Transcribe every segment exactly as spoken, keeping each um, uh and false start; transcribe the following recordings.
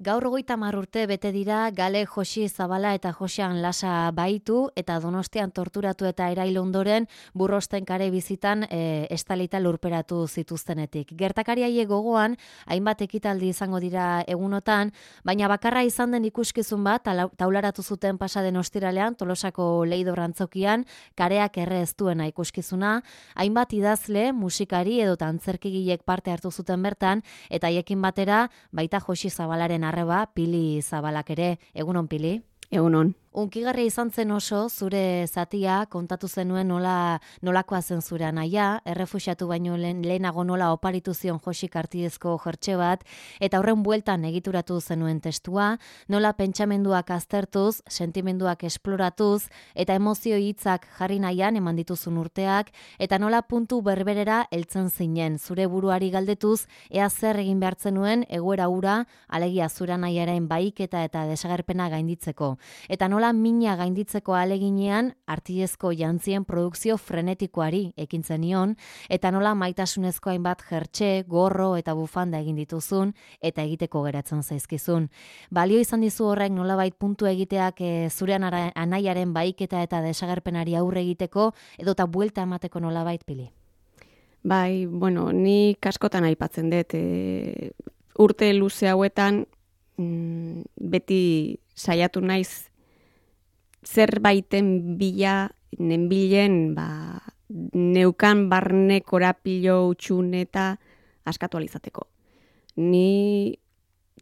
Gaur hogeita hamar urte bete dira Gale Josi Zabala eta Josean Lasa baitu eta Donostian torturatu eta erail ondoren Burrosten kare bizitan e, estalita lurperatu zituztenetik. Gertakari haiek gogoan hainbat ekitaldi izango dira egunotan, baina bakarra izan den ikuskizun bat taularatu zuten pasaden ostiralean Tolosako Leidor antzokian kareak erre ez duena ikuskizuna, hainbat idazle, musikari edo antzerkigilek parte hartu zuten bertan eta haiekin batera baita Josi Zabalaren arreba, Pili Zabalak ere. Egunon, Pili? Egunon. Unkigarria izan zen oso, zure zatia, kontatu zenuen nola, nolakoa zen zure anaia, errefuxiatu baino lehen, lehenago nola oparitu zion Josik Artidezko jertxe bat, eta horren bueltan egituratu zenuen testua, nola pentsamenduak aztertuz, sentimenduak esploratuz, eta emozio hitzak jarri nahian eman dituzun urteak, eta nola puntu berberera heltzen zinen, zure buruari galdetuz, ea zer egin behartzen nuen egoera ura, alegia zure anaiaren baiketa eta desagerpena gainditzeko. Eta nola Nola mina gainditzeko aleginean Artidezko jantzien produkzio frenetikoari ekintzen nion, eta nola maitasunezko hainbat jertxe, gorro eta bufanda egin dituzun, eta egiteko geratzen zaizkizun. Balio izan dizu horrek nolabait puntu egiteak e, zure anaiaren baiketa eta desagerpenari aurre egiteko, edota buelta emateko nolabait, Pili? Bai, bueno, ni askotan aipatzen dut, e, urte luze hauetan mm, beti saiatu naiz zerbaiten bila, nenbilen, ba, neukan barne korapilo utxun eta askatu alizateko. Ni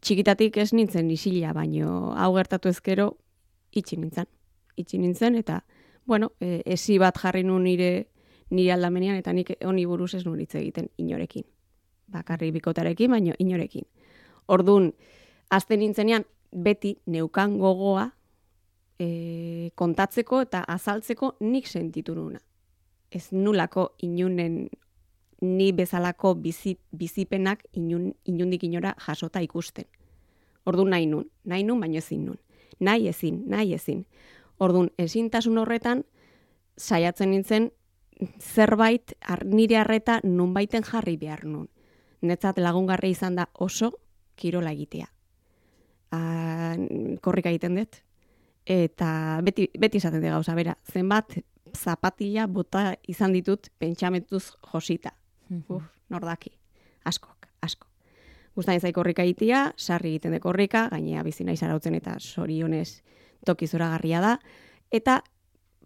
txikitatik ez nintzen isila, baino hau gertatu ezkero itxi nintzen. Itxi nintzen eta, bueno, e, esi bat jarri nun nire, nire aldamenean eta nik honi buruz ez nun hitz egiten inorekin. Bakarri bikotarekin, baino inorekin. Ordun azten nintzenean beti neukan gogoa E, kontatzeko eta azaltzeko nik sentitu nuna. Ez nulako inunen ni bezalako bizi, bizipenak inun, inundik inora jasota ikusten. Orduan nahi nun, nahi nun baino ezin nun. Nahi ezin, nahi ezin. Orduan ezintasun horretan saiatzen nintzen zerbait ar, nire harreta nunbaiten jarri behar nun. Netzat lagungarri izan da oso kirola egitea. A, korrika egiten dut. Eta beti, beti izaten de gauza, bera, zenbat zapatila bota izan ditut pentsamentuz josita. Uf, nordaki. Askok, asko. Gustatzen zait korrika egitea, sarri egiten de korrika, gainea bizi naiz arautzen eta sorionez toki zoragarria da. Eta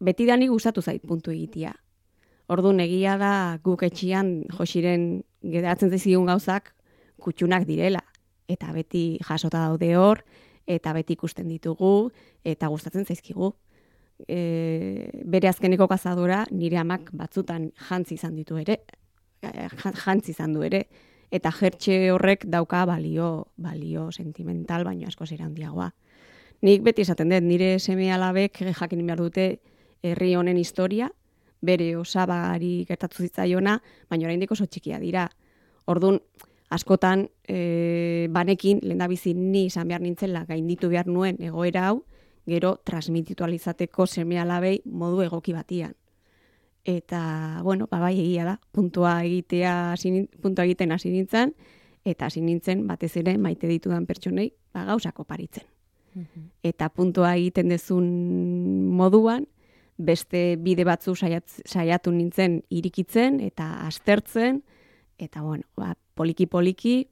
beti dani gustatu zait puntu egitea. Orduan egia da guk etxian Josiren geratzen zaizkigun gauzak kutxunak direla. Eta beti jasota daude hor, eta beti ikusten ditugu, eta gustatzen zaizkigu. E, bere azkeneko kazadora nire amak batzutan jantzi izan ditu ere, jantzi izan du ere, eta jertxe horrek dauka balio, balio sentimental, baino asko zera handiagoa. Nik beti esaten dut, nire seme alabek jakin behar dute herri honen historia, bere osabari gertatu zitzaiona, baina oraindik oso txikia dira. Orduan, askotan, e, banekin, lehendabizi ni izan behar nintzela gainditu behar nuen egoera hau, gero transmititualizateko seme alabei modu egoki batian. Eta, bueno, babai egia da, puntua egitea, puntua egiten hasi nintzen, eta hasi nintzen batez ere maite ditudan pertsonei ba, gauzak oparitzen. Mm-hmm. Eta puntua egiten dezun moduan, beste bide batzu saiat, saiatu nintzen irikitzen eta aztertzen, eta bueno, ba, poliki-poliki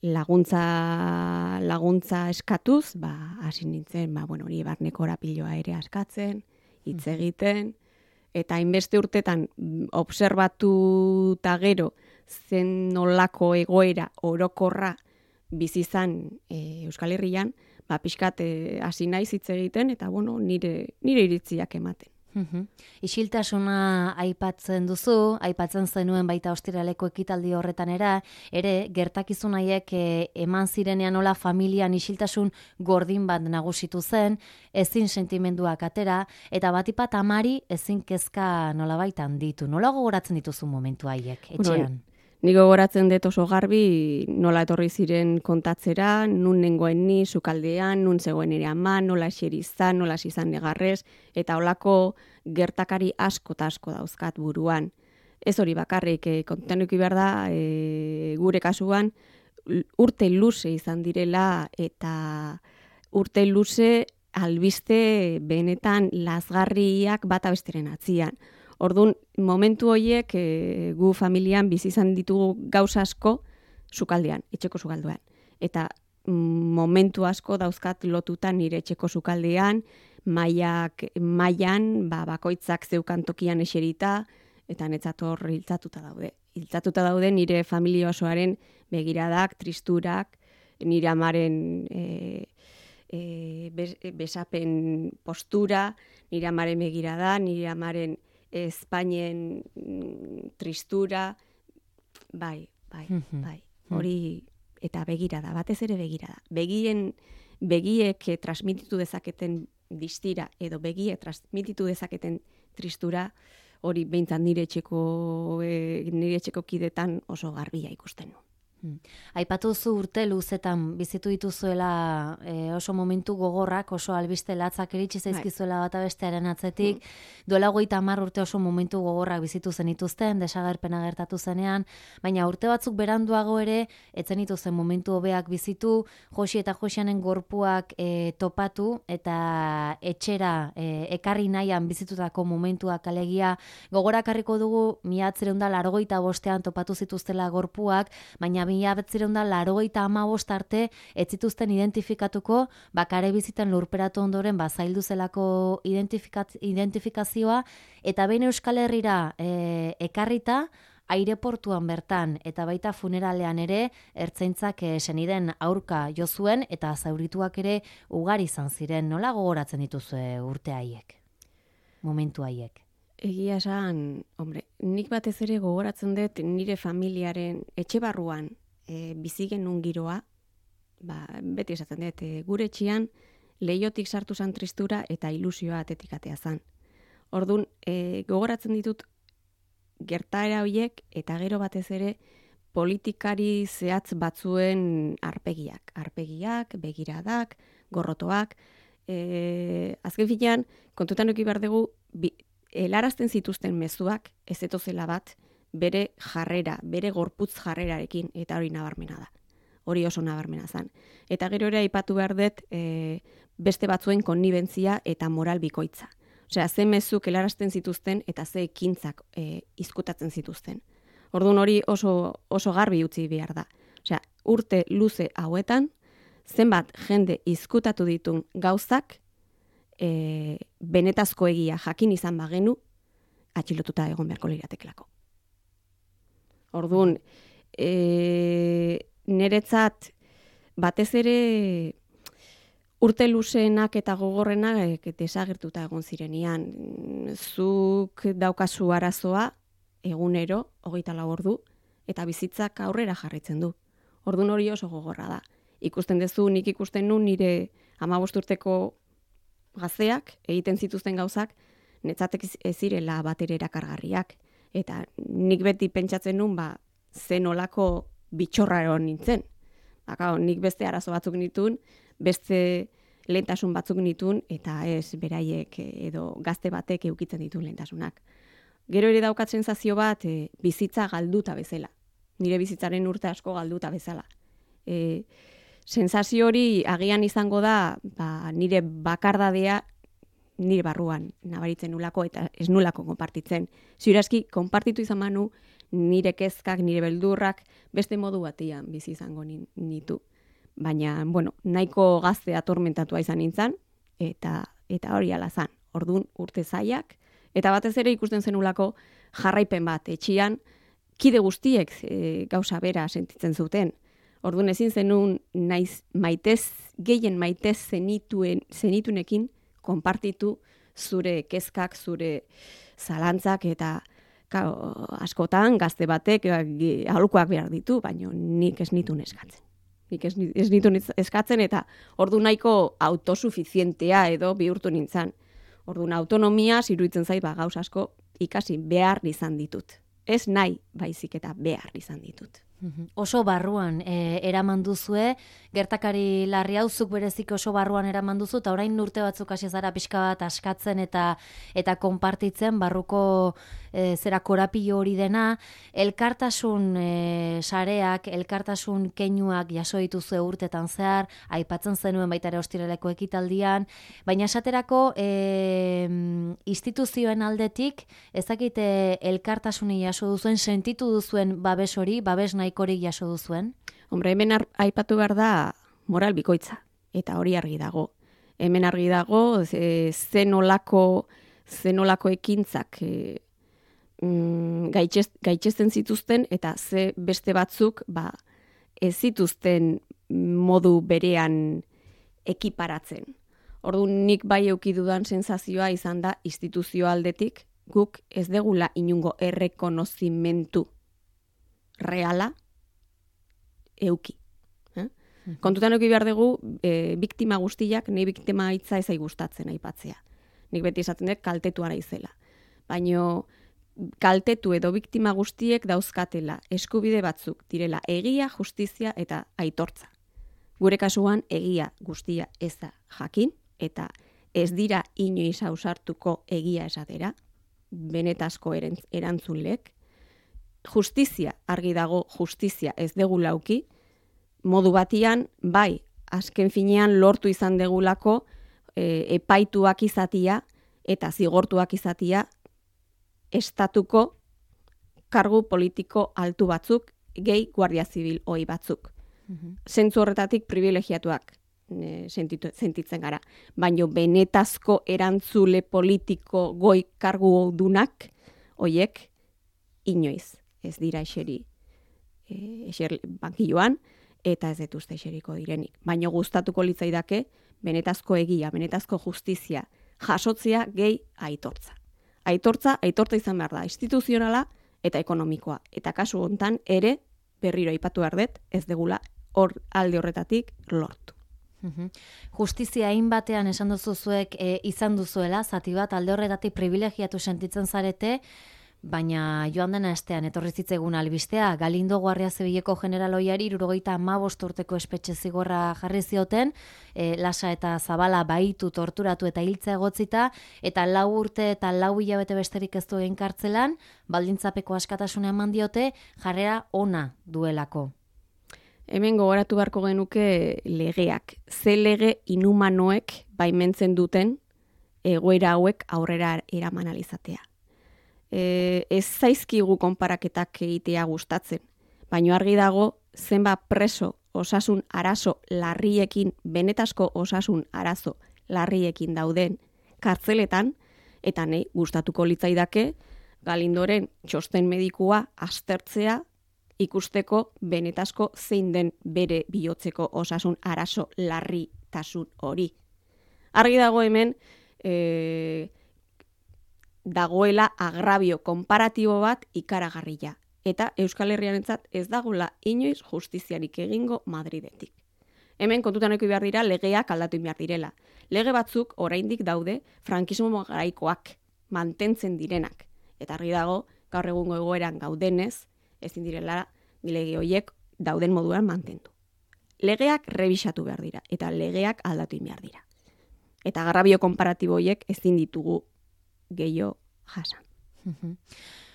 laguntza, laguntza eskatuz, ba, hasi nintzen, ba, bueno, hori barneko orapiloa ere askatzen, hitz egiten, eta hainbeste urtetan obserbatu eta gero zen nolako egoera orokorra bizizan e, Euskal Herrian, ba, pixkat hasi naiz hitz egiten, eta bueno, nire, nire iritziak ematen. Uhum. Isiltasuna aipatzen duzu, aipatzen zenuen baita ostiraleko ekitaldi horretan era, ere gertakizun haiek e, eman zirenean nola familian isiltasun gordin bat nagusitu zen, ezin sentimenduak atera, eta batipat amari ezin kezka nola baitan ditu. Nola gogoratzen dituzu momentu haiek, etxean? Bueno, Nik gogoratzen dut oso garbi nola etorri ziren kontatzera, nun nengoen ni, sukaldean, nun zegoen ere ama, nola xerizan, nola izan negarrez, eta holako gertakari asko eta asko dauzkat buruan. Ez hori bakarrik, e, kontenuki behar da, e, gure kasuan, urte luze izan direla eta urte luze albiste benetan lazgarriak bata besteren atzian. Ordun momentu horiek e, gu familian bizi izan ditugu gauza asko sukaldean, etxeko sukaldean. Eta momentu asko dauzkat lotuta nire etxeko sukaldean, mailak mailan, ba bakoitzak zeukan tokian eserita eta netzator hiltzatuta daude. Hiltzatuta daude nire familia osoaren begiradak, tristurak, nire amaren e, e, besapen postura, nire amaren begirada, nire amaren Espainien tristura, bai, bai, bai. Hori eta begirada, batez ere begirada. Begien begiek transmititu dezaketen distira edo begiek transmititu dezaketen tristura, hori behintzat nire etxeko e, nire etxeko kidetan oso garbia ikusten du. Hmm. Aipatu zu urte luzetan bizitu dituzuela e, oso momentu gogorrak, oso albiste latzak iritsi zaizkizuela bata bestearen atzetik. Mm. Duela hogeita hamar urte oso momentu gogorrak bizitu zenituzten, desagerpena gertatu zenean, baina urte batzuk beranduago ere, etzen dituzen momentu hobeak bizitu, Josi eta Josianen gorpuak e, topatu eta etxera e, ekarri nahian bizitutako momentuak alegia gogorakarriko dugu mila bederatziehun eta laurogeita bostean topatu zituztela gorpuak, baina mila bederatziehun eta laurogeita hamabost arte ez zituzten identifikatuko, bakare bizitan lurperatu ondoren bazaildu zelako identifikazioa, eta behin Euskal Herrira e, ekarrita, aireportuan bertan eta baita funeralean ere ertzaintzak e, seniden aurka jo zuen eta zaurituak ere ugari izan ziren. Nola gogoratzen dituzue urte haiek, momentu haiek? Egia esan, hombre, nik batez ere gogoratzen dut nire familiaren etxe barruan e, bizi genuen giroa, ba, beti esaten dut, e, gure etxean leiotik sartu zan tristura eta ilusioa atetik atea zan. Ordun, e, gogoratzen ditut gertaera horiek eta gero batez ere politikari zehatz batzuen arpegiak. Arpegiak, begiradak, gorrotoak. E, azken finean, kontutan eduki behar dugu, bi, helarazten zituzten mezuak ez etozela bat bere jarrera, bere gorputz jarrerarekin, eta hori nabarmena da. Hori oso nabarmena zan. Eta gero ere aipatu behar dut e, beste batzuen konnibentzia eta moral bikoitza. Osea, ze mezuk helarazten zituzten eta ze ekintzak e, izkutatzen zituzten. Orduan hori oso, oso garbi utzi behar da. Osea, urte luze hauetan, zenbat jende izkutatu ditun gauzak, E, benetazko egia jakin izan bagenu, atxilotuta egon beharko liratekelako. Orduan, e, niretzat batez ere urte luzeenak eta gogorrenak e, desagertuta egon zirenian. Zuk daukazu arazoa egunero, hogeita lau ordu, eta bizitzak aurrera jarraitzen du. Orduan hori oso gogorra da. Ikusten duzu, nik ikusten nu nire hamabost urteko gazteak egiten zituzten gauzak netzatek ez zirela batere erakargarriak. Eta nik beti pentsatzen nun, ba, zen olako bitxorra nintzen. Baka, nik beste arazo batzuk nituen, beste lehentasun batzuk nituen, eta ez beraiek edo gazte batek eukitzen dituen lehentasunak. Gero ere daukat sensazio bat e, bizitza galduta bezala. Nire bizitzaren urte asko galduta bezala. E, Sensazio hori agian izango da, ba, nire bakardadea nire barruan nabaritzen nulako eta ez nulako konpartitzen. Ziurazki, konpartitu izan manu nire kezkak, nire beldurrak beste modu batian bizi izango nitu. Baina, bueno, nahiko gazte atormentatua izan nintzen, eta, eta hori ala zan. Ordun urte zaiak, eta batez ere ikusten zenulako jarraipen bat etxian, kide guztiek e, gauza bera sentitzen zuten. Orduan ezin zenun naiz maitez, gehien maitez zenituen, zenitunekin konpartitu zure kezkak, zure zalantzak eta ka, askotan gazte batek aholkuak behar ditu, baina nik ez nitun eskatzen. Nik ez, ez nitun eskatzen eta ordu nahiko autosuficientea edo bihurtu nintzen. Orduan autonomia iruditzen zait ba, gauz asko ikasi behar izan ditut. Ez nahi baizik eta behar izan ditut. Oso barruan e, eraman duzue, gertakari larri hau zuk berezik oso barruan eraman duzu, eta orain urte batzuk hasi zara pixka bat askatzen eta eta konpartitzen barruko e, zera korapilo hori dena, elkartasun e, sareak, elkartasun keinuak jaso dituzue urtetan zehar, aipatzen zenuen baita ere ostiraleko ekitaldian, baina esaterako e, instituzioen aldetik, ezakite elkartasuni jaso duzuen, sentitu duzuen babes hori, babes nahikorik jaso duzuen? Hombre, hemen aipatu behar da moral bikoitza, eta hori argi dago. Hemen argi dago e, zenolako, zenolako ekintzak e, mm, gaitxez, gaitxezten zituzten, eta ze beste batzuk ba, ez zituzten modu berean ekiparatzen. Orduan nik bai eukidudan sensazioa izan da instituzio aldetik, guk ez degula inungo errekonozimentu reala euki. Eh? Mm-hmm. Kontutan euki behar dugu, e, biktima guztiak, nahi biktima hitza ezai gustatzen aipatzea. Nik beti esaten dut kaltetua naizela. Baino kaltetu edo biktima guztiek dauzkatela eskubide batzuk direla egia, justizia eta aitortza. Gure kasuan egia guztia ez da jakin, eta ez dira inoiz ausartuko egia esatera, benetazko erantzulek. Justizia, argi dago, justizia ez degulauki, modu batian, bai, azken finean lortu izan degulako e, epaituak izatia eta zigortuak izatia estatuko kargu politiko altu batzuk, gehi guardia zibil hoi batzuk. Mm-hmm. Zentzu horretatik privilegiatuak e, sentitu, sentitzen gara. Baina benetazko erantzule politiko goi kargu dunak, hoiek inoiz ez dira eseri e, eser bankilloan, eta ez detuzte eseriko direnik. Baina gustatuko litzaidake benetazko egia, benetazko justizia, jasotzea gehi aitortza. Aitortza, aitortza izan behar da, instituzionala eta ekonomikoa. Eta kasu hontan ere, berriro aipatu behar dut, ez degula hor alde horretatik lortu. Justizia hain batean esan duzu zuek e, izan duzuela, zati bat alde horretatik privilegiatu sentitzen zarete, baina joan dena estean etorri zitzegun albistea, Galindo Guardia Zibileko generaloiari hirurogeita hamabost urteko espetxe zigorra jarri zioten, e, lasa eta zabala baitu, torturatu eta hiltzea egotzita, eta lau urte eta lau hilabete besterik ez du egin kartzelan, baldintzapeko askatasuna eman diote, jarrera ona duelako. Hemen gogoratu beharko genuke legeak. Ze lege inhumanoek baimentzen duten egoera hauek aurrera eraman alizatea. E, ez zaizkigu konparaketak egitea gustatzen, baina argi dago zenba preso osasun arazo larriekin, benetazko osasun arazo larriekin dauden kartzeletan, eta nahi gustatuko litzaidake Galindoren txosten medikua aztertzea ikusteko benetazko zein den bere bihotzeko osasun arazo larritasun hori. Argi dago hemen e, dagoela agrabio konparatibo bat ikaragarria. Eta Euskal Herriarentzat ez dagoela inoiz justiziarik egingo Madridetik. Hemen kontutan eduki behar dira legeak aldatu behar direla. Lege batzuk oraindik daude frankismo garaikoak mantentzen direnak. Eta argi dago, gaur egungo egoeran gaudenez, ezin direla lege horiek dauden moduan mantendu. Legeak rebisatu behar dira, eta legeak aldatu behar dira. Eta agrabio konparatibo horiek ezin ditugu gehiago jasan.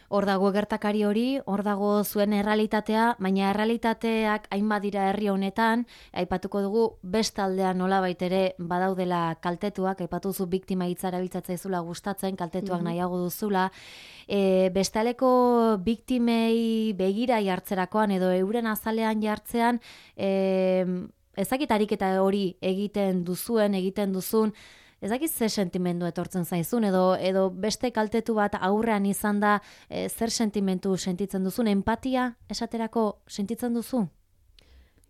Hor dago gertakari hori, hor dago zuen errealitatea, baina errealitateak hainbat dira herri honetan, aipatuko dugu bestaldean nolabait ere badaudela kaltetuak, aipatu zu biktima hitza erabiltzatzen zula gustatzen, kaltetuak mm-hmm. nahiago duzula, e, bestaleko biktimei begira jartzerakoan edo euren azalean jartzean, e, ezakitarik eta hori egiten duzuen, egiten duzun, ez dakiz ze sentimendu etortzen zaizun, edo, edo beste kaltetu bat aurrean izan da, e, zer sentimentu sentitzen duzun, empatia esaterako sentitzen duzu?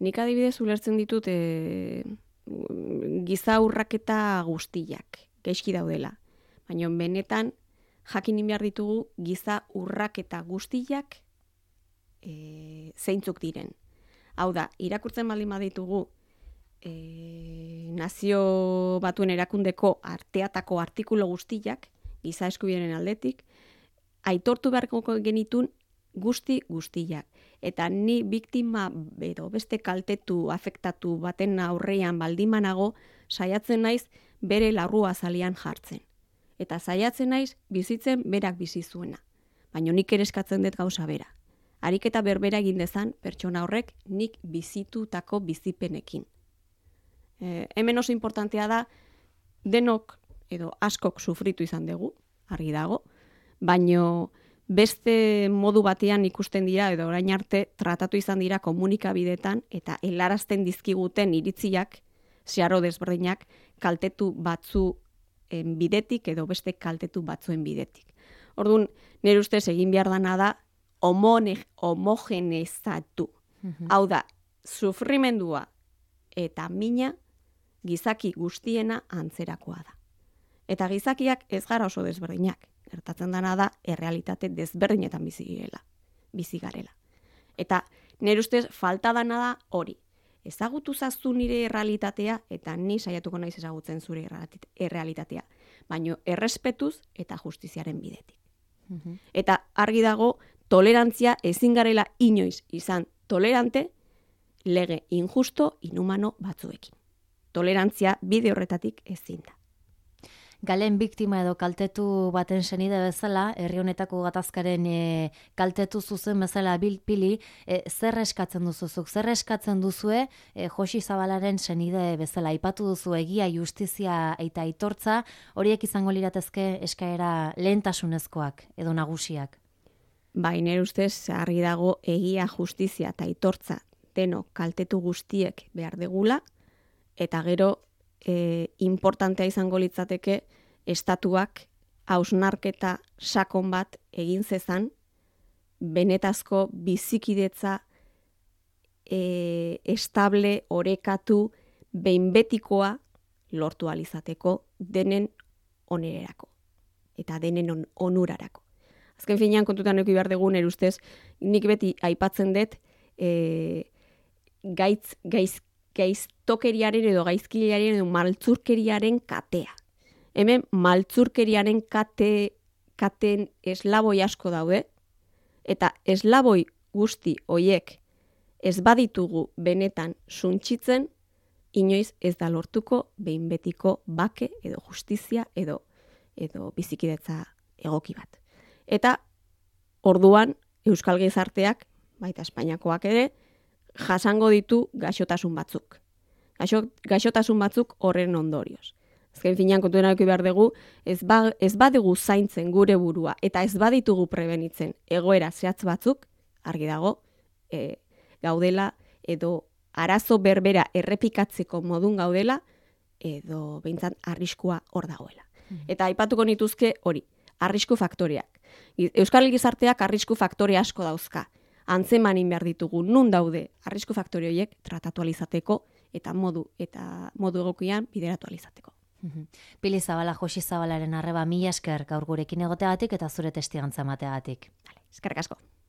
Nik adibidez ulertzen ditut e, giza urraketa guztiak, gaizki daudela. Baina benetan jakin behar ditugu giza urraketa guztiak e, zeintzuk diren. Hau da, irakurtzen baldin baditugu, E, nazio batuen erakundeko arteatako artikulu guztiak, giza eskubideen aldetik, aitortu beharko genitun guzti guztiak. Eta ni biktima edo beste kaltetu, afektatu baten aurrean baldimanago, saiatzen naiz bere larrua zalian jartzen. Eta saiatzen naiz bizitzen berak bizi zuena. Baina nik ere eskatzen dut gauza bera. Ariketa berbera egin dezan pertsona horrek nik bizitutako bizipenekin. E, hemen oso importantea da, denok edo askok sufritu izan dugu, argi dago, baino beste modu batean ikusten dira edo orain arte tratatu izan dira komunikabidetan eta helarazten dizkiguten iritziak, zeharo desberdinak, kaltetu batzu bidetik edo beste kaltetu batzuen bidetik. Orduan, nire ustez egin behar dana da homogenezatu. Mm-hmm. Hau da, sufrimendua eta mina gizaki guztiena antzerakoa da. Eta gizakiak ez gara oso desberdinak. Gertatzen dana da, errealitate desberdinetan bizi girela, bizi garela. Eta nire ustez falta dana da hori. Ezagutu zaztu nire errealitatea eta ni saiatuko naiz ezagutzen zure errealitatea. Baina errespetuz eta justiziaren bidetik. Mm-hmm. Eta argi dago, tolerantzia ezin garela inoiz izan tolerante lege injusto, inhumano batzuekin. Tolerantzia bide horretatik ezin da. Galen biktima edo kaltetu baten senide bezala, herri honetako gatazkaren e, kaltetu zuzen bezala bilpili, e, zer eskatzen duzuzuk? Zer eskatzen duzue e, Josi Zabalaren senide bezala? Aipatu duzu egia, justizia eta aitortza, horiek izango liratezke eskaera lehentasunezkoak edo nagusiak? Bai, nire ustez argi dago egia, justizia eta aitortza denok kaltetu guztiek behar degula, eta gero E, importantea izango litzateke estatuak hausnarketa sakon bat egin zezan benetazko bizikidetza e, estable, orekatu, behin betikoa lortu alizateko denen onererako eta denen on, onurarako. Azken finean kontutan eki behar dugun erustez, nik beti aipatzen dut e, gaitz, gaiz gaiztokeriaren edo gaizkilaren edo maltzurkeriaren katea. Hemen maltzurkeriaren kate, katen eslaboi asko daude, eta eslaboi guzti hoiek ez baditugu benetan suntsitzen, inoiz ez da lortuko behin betiko bake edo justizia edo, edo bizikidetza egoki bat. Eta orduan Euskal Gizarteak, baita Espainiakoak ere, jasango ditu gaixotasun batzuk. Gaixo, gaixotasun batzuk horren ondorioz. Azken finean kontuena eduki behar dugu, ez, ba, ez badugu zaintzen gure burua eta ez baditugu prebenitzen egoera zehatz batzuk, argi dago, e, gaudela edo arazo berbera errepikatzeko modun gaudela edo behintzat arriskua hor dagoela. Mm. Eta aipatuko nituzke hori, arrisku faktoreak. Euskal Gizarteak arrisku faktore asko dauzka. Antzemanin behar ditugu, nun daude arrisku faktore horiek tratatu alizateko eta modu eta modu egokian bideratu alizateko. Pili Zabala, Josi Zabalaren arreba mila esker gaur gurekin egoteagatik eta zure testigantza emateagatik. Eskerrik asko.